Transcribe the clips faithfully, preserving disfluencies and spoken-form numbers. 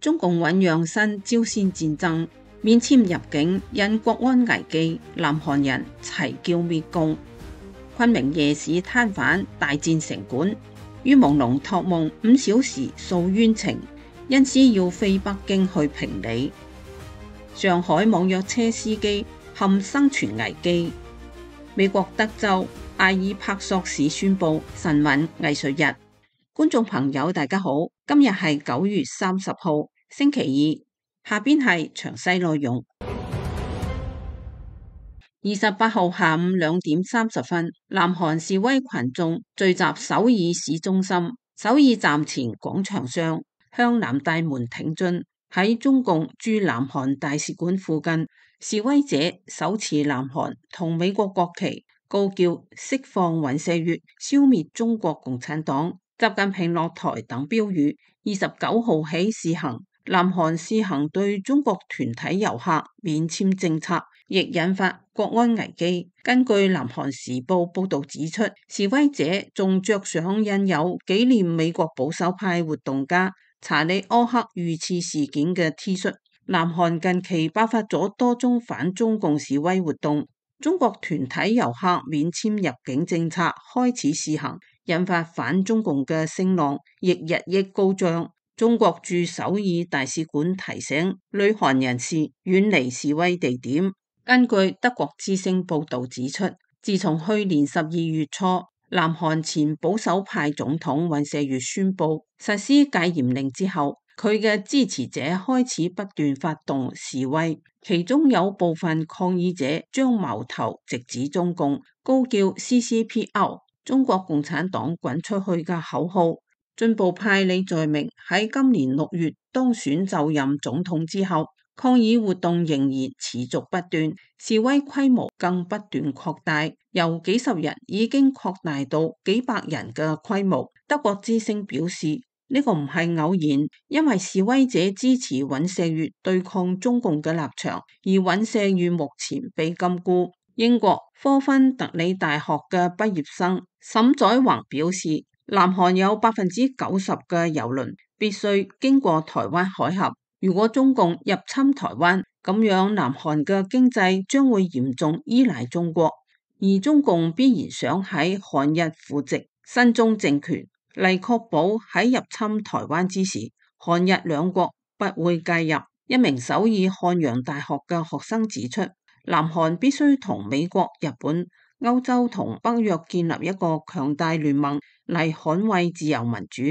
中共醞釀新朝鮮戰爭，免簽入境因國安危機，南韓人齊叫滅共。昆明夜市攤販大戰城管，於朦朧託夢五小時訴冤情，因此要飛北京去評理。上海網約車司機陷生存危機。美國德州埃爾帕索市宣布晨運藝術日。觀眾朋友大家好，今日係九月三十號星期二，下邊係詳細內容。二十八號下午兩點三十分，南韓示威群眾聚集首爾市中心首爾站前廣場上，向南大門挺進。喺中共駐南韓大使館附近，示威者手持南韓同美國國旗，高叫釋放尹錫悅、消滅中國共產黨、習近平落台等標語。二十九號起試行南韓試行對中國團體遊客免簽政策，亦引發國安危機。根據南韓時報報道指出，示威者仲着上印有紀念美國保守派活動家查理柯克遇刺事件嘅 T 恤。南韓近期爆發咗多宗反中共示威活動，中國團體遊客免簽入境政策開始試行，引發反中共嘅聲浪亦日益高漲。中國駐首爾大使館提醒旅韓人士遠離示威地點。根據德國之聲報道指出，自從去年十二月初，南韓前保守派總統尹錫悅宣布實施戒嚴令之後，佢嘅支持者開始不斷發動示威，其中有部分抗議者將矛頭直指中共，高叫 C C P out 中國共產黨滾出去嘅口號。進步派李在明喺今年六月當選就任總統之後，抗議活動仍然持續不斷，示威規模更不斷擴大，由幾十人已經擴大到幾百人嘅規模。德國之聲表示，呢個唔係偶然，因為示威者支持尹錫悅對抗中共嘅立場，而尹錫悅目前被禁錮。英國科芬特里大學嘅畢業生沈載橫表示，南韓有百分之九十嘅郵輪必須經過台灣海峽。如果中共入侵台灣，咁樣南韓嘅經濟將會嚴重依賴中國，而中共必然想喺韓日扶植親中政權，嚟確保喺入侵台灣之時，韓日兩國不會介入。一名首爾漢陽大學嘅學生指出，南韓必須同美國、日本、歐洲同北約建立一個強大聯盟嚟捍衛自由民主，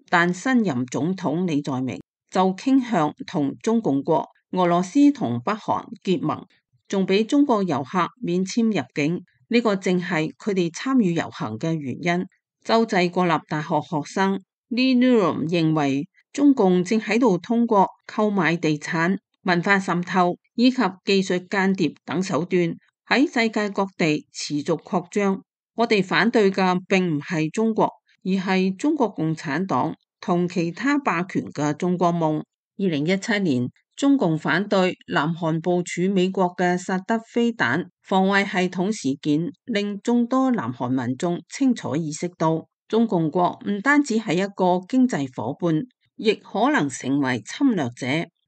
但新任總統李在明就傾向同中共國、俄羅斯同北韓結盟，仲俾中國遊客免簽入境。呢個正係佢哋參與遊行嘅原因。洲際國立大學學生 Lee Nurum 認為，中共正喺度通過購買地產、文化滲透以及技術間諜等手段喺世界各地持續擴張。我哋反對嘅並唔係中國，而係中國共產黨同其他霸權嘅中國夢。二零一七年，中共反對南韓部署美國嘅薩德飛彈防衛系統事件，令眾多南韓民眾清楚意識到，中共國唔單止係一個經濟夥伴，亦可能成為侵略者。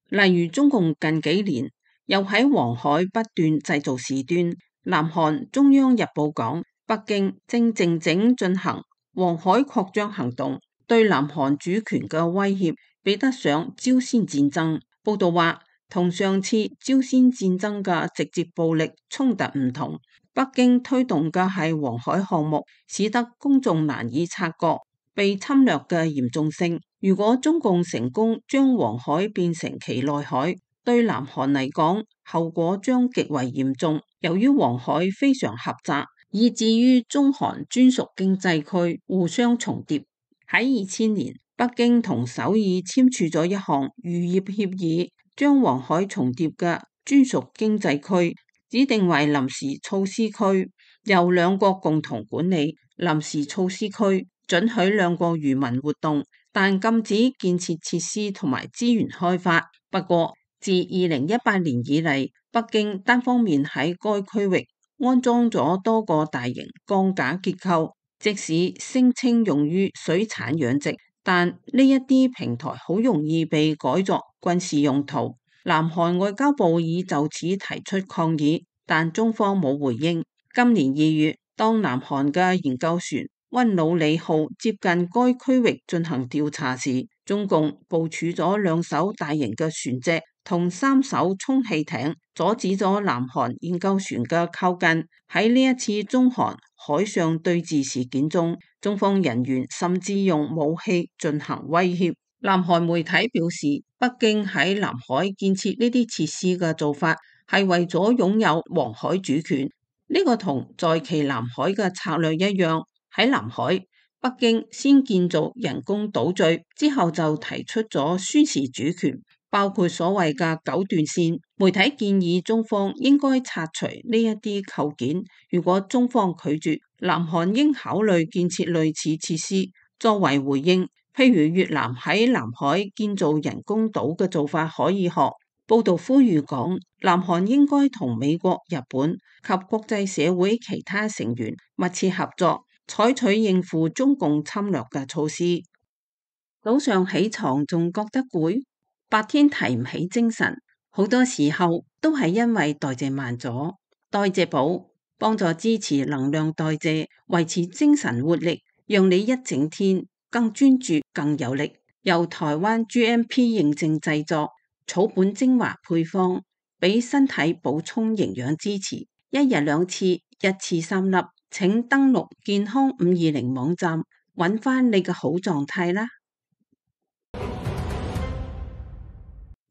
例如，中共近幾年又喺黃海不斷製造事端。南韓中央日報講，北京正靜靜進行黃海擴張行動，對南韓主權嘅威脅比得上朝鮮戰爭。報道話，同上次朝鮮戰爭嘅直接暴力衝突唔同，北京推動嘅係黃海項目，使得公眾難以察覺被侵略嘅嚴重性。如果中共成功將黃海變成其內海，對南韓嚟講，後果將極為嚴重。由於黃海非常狹窄，以至於中韓專屬經濟區互相重疊。喺二千年，北京同首爾簽署咗一項漁業協議，將黃海重疊嘅專屬經濟區指定為臨時措施區，由兩國共同管理。臨時措施區准許兩國漁民活動，但禁止建設設施同埋資源開發。不過，自二零一八年以嚟，北京單方面喺該區域安裝咗多個大型鋼架結構，即使聲稱用於水產養殖，但呢一啲平台好容易被改作軍事用途。南韓外交部已就此提出抗議，但中方冇回應。今年二月，當南韓嘅研究船溫魯里號接近該區域進行調查時，中共部署咗兩艘大型嘅船隻同三艘充氣艇，阻止咗南韓研究船嘅靠近。喺呢一次中韓海上對峙事件中，中方人員甚至用武器進行威脅。南韓媒體表示，北京喺南海建設呢啲設施嘅做法係為咗擁有黃海主權。呢個同在其南海嘅策略一樣，喺南海，北京先建造人工島嶼，之後就提出咗宣示主權，包括所謂嘅九段線。媒體建議中方應該拆除呢一啲構件，如果中方拒絕，南韓應考慮建設類似設施作為回應，譬如越南喺南海建造人工島嘅做法可以學。報道呼籲講，南韓應該同美國、日本及國際社會其他成員密切合作，採取應付中共侵略嘅措施。早上起床仲覺得攰，白天提唔起精神，好多時候都係因為代謝慢咗。代謝寶幫助支持能量代謝，維持精神活力，讓你一整天更專注、更有力。由台灣 G M P 認證製作。草本精華配方，俾身體補充營養支持，一日兩次，一次三粒。請登錄健康五二零網站，揾翻你嘅好狀態啦。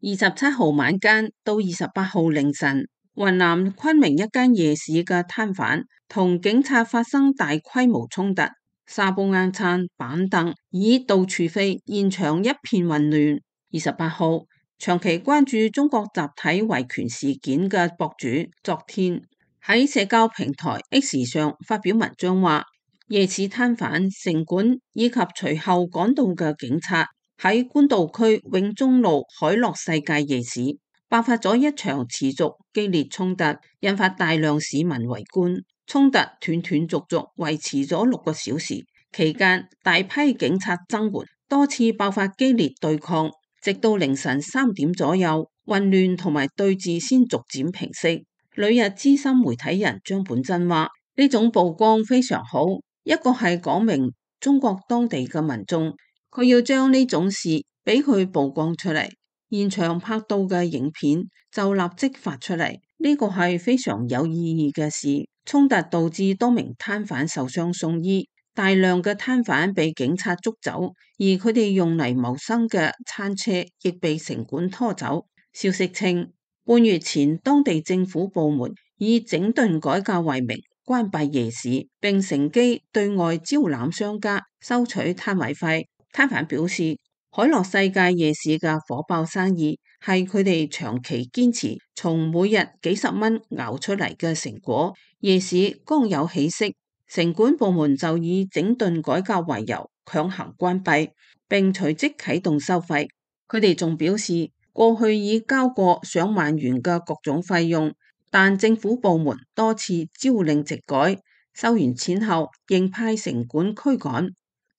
二十七號晚間到二十八號凌晨，雲南昆明一間夜市嘅攤販同警察發生大規模衝突，沙煲罌罉、板凳椅到處飛，現場一片混亂。二十八號。長期關注中國集體維權事件嘅博主，昨天喺社交平台 X 上發表文章話，夜市攤販、城管以及隨後趕到嘅警察喺官渡區永中路海樂世界夜市爆發咗一場持續激烈衝突，引發大量市民圍觀。衝突斷斷續續維持咗六個小時，期間大批警察增援，多次爆發激烈對抗。直到凌晨三點左右，混亂同埋對峙先逐漸平息。旅日資深媒體人張本真話：呢種曝光非常好，一個係講明中國當地嘅民眾，佢要將呢種事俾佢曝光出嚟，現場拍到嘅影片就立即發出嚟，呢個係非常有意義嘅事。衝突導致多名攤販受傷送醫。大量嘅攤販被警察捉走，而佢哋用嚟謀生嘅餐車亦被城管拖走。消息稱，半月前當地政府部門以整頓改革為名關閉夜市，並乘機對外招攬商家收取攤位費。攤販表示，海樂世界夜市嘅火爆生意係佢哋長期堅持從每日幾十蚊熬出嚟嘅成果。夜市剛有起色，城管部門就以整頓改革為由強行關閉，並隨即啟動收費。佢哋仲表示，過去已交過上萬元嘅各種費用，但政府部門多次朝令夕改，收完錢後仍派城管驅趕，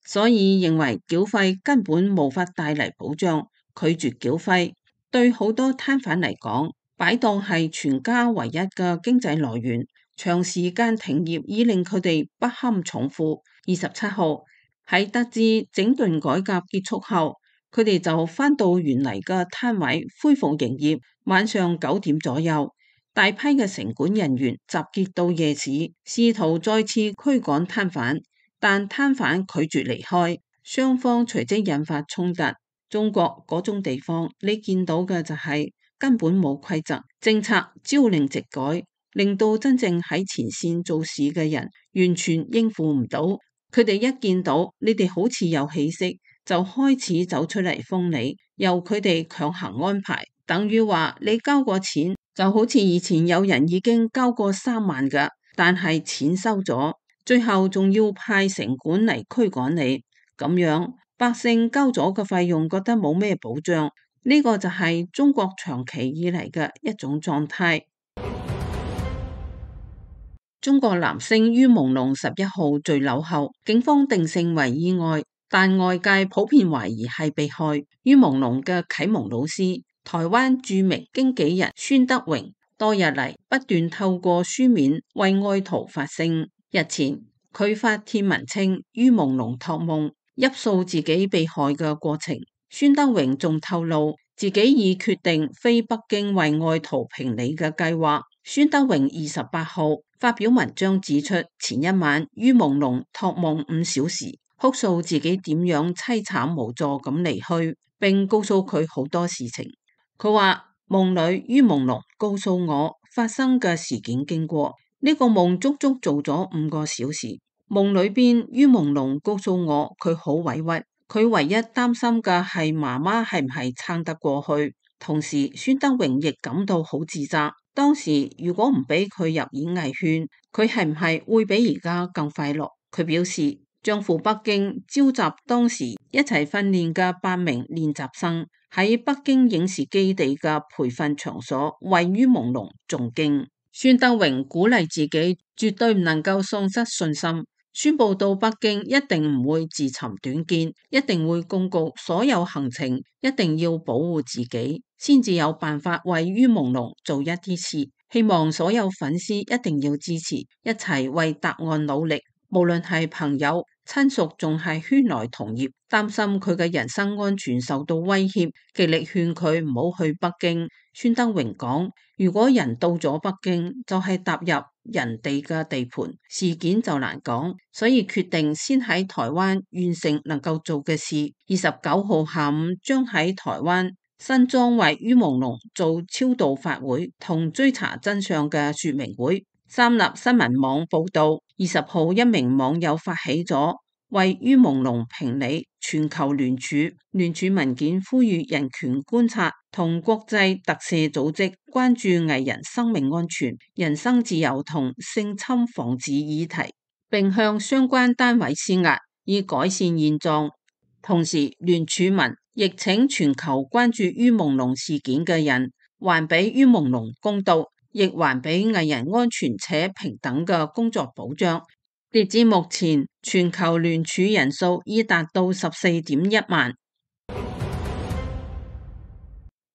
所以認為繳費根本無法帶嚟保障，拒絕繳費。對好多攤販嚟講，擺檔係全家唯一嘅經濟來源。長時間停業已令佢哋不堪重負。二十七號喺得知整頓改革結束後，佢哋就返到原嚟嘅攤位恢復營業。晚上九點左右，大批嘅城管人員集結到夜市，試圖再次驅趕攤販，但攤販拒絕離開，雙方隨即引發衝突。中國嗰種地方，你見到嘅就係根本冇規則，政策朝令夕改，令到真正喺前線做事嘅人完全應付唔到。佢哋一見到你哋好似有起色，就開始走出嚟封你，由佢哋強行安排，等於話你交過錢，就好似以前有人已經交過三萬㗎，但係錢收咗，最後仲要派城管嚟驅趕你，咁樣百姓交咗嘅費用覺得冇咩保障，呢個就係中國長期以嚟嘅一種狀態。中國男星於朦朧十一號墜樓後，警方定性為意外。但外界普遍懷疑係被害。於朦朧嘅啟蒙老師，台灣著名經紀人孫德榮，多日嚟不斷透過書面為愛徒發聲。日前佢發帖文稱於朦朧託夢，憶述自己被害嘅過程。孫德榮仲透露自己已決定飛北京為愛徒評理嘅計劃。孫德榮二十八號發表文章指出，前一晚於朦朧託夢五小時，哭訴自己點樣淒慘無助咁離去，並告訴佢好多事情。佢話夢裏於朦朧告訴我發生嘅事件經過，呢個夢足足做咗五個小時。夢裏邊於朦朧告訴我佢好委屈，佢唯一擔心嘅係媽媽係唔係撐得過去。同時孫德榮亦感到好自責，當時如果唔俾佢入演藝圈，佢係唔係會比而家更快樂？佢表示將赴北京召集當時一齊訓練嘅八名練習生，喺北京影視基地嘅培訓場所為於朦朧誦經。孫德榮鼓勵自己絕對唔能夠喪失信心，宣布到北京一定唔會自尋短見，一定會公告所有行程，一定要保護自己，先至有辦法為於朦朧做一啲事。希望所有粉絲一定要支持，一齊為答案努力。無論係朋友、親屬，仲係圈內同業，擔心佢嘅人身安全受到威脅，極力勸佢唔好去北京。孫德榮講：如果人到咗北京，就係踏入人哋嘅地盤，事件就難講，所以決定先喺台灣完成能夠做嘅事。二十九號下午將喺台灣新莊為於朦朧做超度法會同追查真相嘅說明會。三立新聞網報道，二十號一名網友發起咗為於朦朧評理全球聯署，聯署文件呼籲人權觀察同國際特赦組織關注藝人生命安全、人身自由同性侵防治議題，並向相關單位施壓以改善現狀。同時聯署文亦請全球關注於朦朧事件嘅人還俾於朦朧公道，亦還俾藝人安全且平等嘅工作保障。截至目前，全球聯署人數已達到十四點一萬。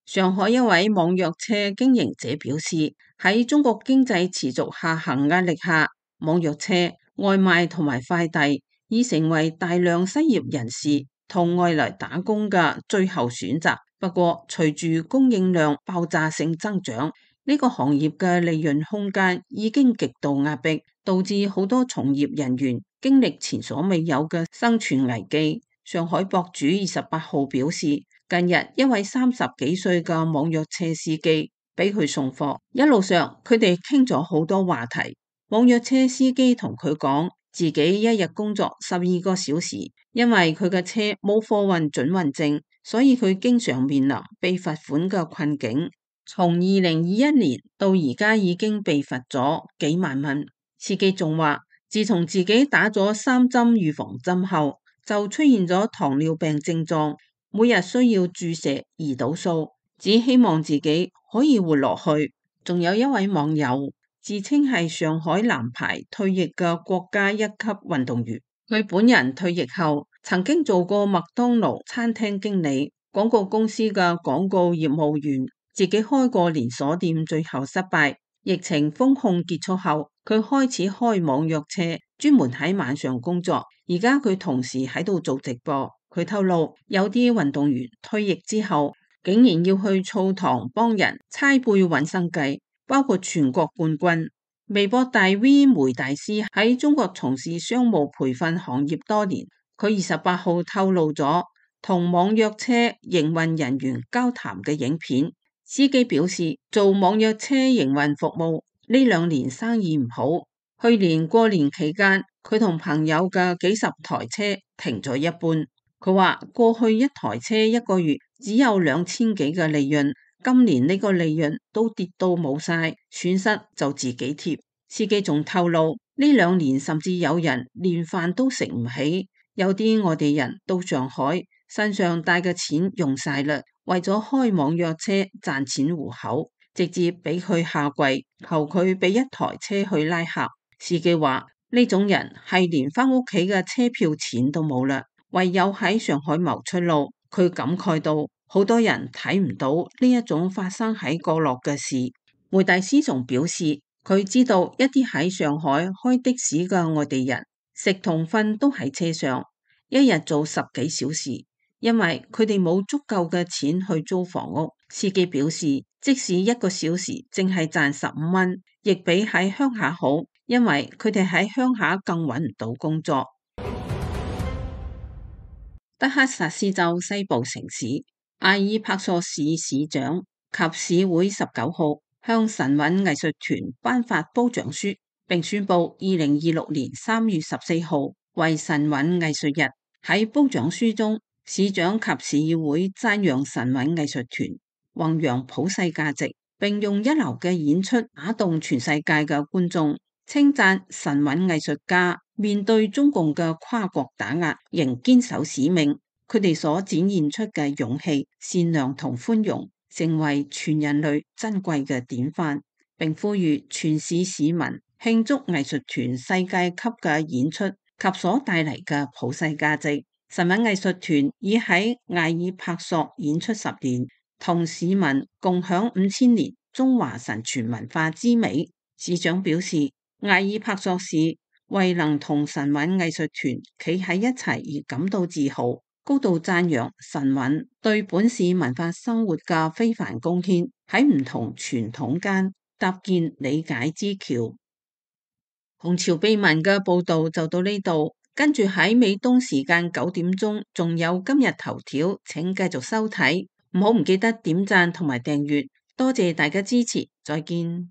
上海一位網約車經營者表示，喺中國經濟持續下行壓力下，網約車、外賣同埋快遞已成為大量失業人士同外來打工嘅最後選擇。不過，隨住供應量爆炸性增長，呢個行業嘅利潤空間已經極度壓迫，導致好多從業人員經歷前所未有嘅生存危機。上海博主二十八號表示，近日一位三十幾歲嘅網約車司機俾佢送貨，一路上佢哋傾咗好多話題。網約車司機同佢講，自己一日工作十二個小時，因為佢嘅車冇貨運准運證，所以佢經常面臨被罰款嘅困境。從二零二一年到而家已經被罰咗幾萬蚊。司機仲話，自從自己打咗三針預防針後，就出現咗糖尿病症狀，每日需要注射胰島素，只希望自己可以活落去。仲有一位網友自稱係上海男排退役嘅國家一級運動員，佢本人退役後曾經做過麥當勞餐廳經理、廣告公司嘅廣告業務員，自己開過連鎖店，最後失敗。疫情封控結束後，佢開始開網約車，專門喺晚上工作。而家佢同時喺度做直播。佢透露，有啲運動員退役之後，竟然要去澡堂幫人搓背揾生計，包括全國冠軍。微博大 V 梅大師喺中國從事商務培訓行業多年，佢二十八號透露咗同網約車營運人員交談嘅影片。司機表示，做網約車營運服務呢兩年生意唔好，去年過年期間佢同朋友嘅幾十台車停咗一半。佢話過去一台車一個月只有兩千幾嘅利潤，今年呢個利潤都跌到冇晒，損失就自己貼。司機仲透露，呢兩年甚至有人連飯都食唔起，有啲外地人到上海身上帶嘅錢用晒啦，為咗開網約車賺錢糊口，直接俾佢下跪求佢俾一台車去拉客。司機話呢種人係連翻屋企嘅車票錢都冇啦，唯有喺上海謀出路。佢感慨到，好多人睇唔到呢一種發生喺角落嘅事。梅蒂斯仲表示，佢知道一啲喺上海開的士嘅外地人，食同瞓都喺車上，一日做十幾小時，因為佢哋冇足夠嘅錢去租房屋。司機表示，即使一個小時淨係賺十五蚊，亦比喺鄉下好，因為佢哋喺鄉下更揾唔到工作。德克薩斯州西部城市艾爾帕索市市長及市會十九號向神韻藝術團頒發褒獎書，並宣布二零二六年三月十四號為神韻藝術日。喺褒獎書中，市長及市議會讚揚神韻藝術團弘揚普世價值，並用一流嘅演出打動全世界嘅觀眾，稱讚神韻藝術家面對中共嘅跨國打壓，仍堅守使命。佢哋所展現出嘅勇氣、善良同寬容，成為全人類珍貴嘅典範，並呼籲全市市民慶祝藝術團世界級嘅演出及所帶嚟嘅普世價值。神韻藝術團已喺艾爾帕索演出十年，同市民共享五千年中華神傳文化之美。市長表示，艾爾帕索市為能同神韻藝術團企喺一齊而感到自豪，高度讚揚神韻對本市文化生活嘅非凡貢獻，喺唔同傳統間搭建理解之橋。紅潮秘聞嘅報道就到呢度，跟住喺美東時間九點鐘仲有今日頭條，請繼續收睇，唔好唔記得點讚同埋訂閱，多謝大家支持，再見。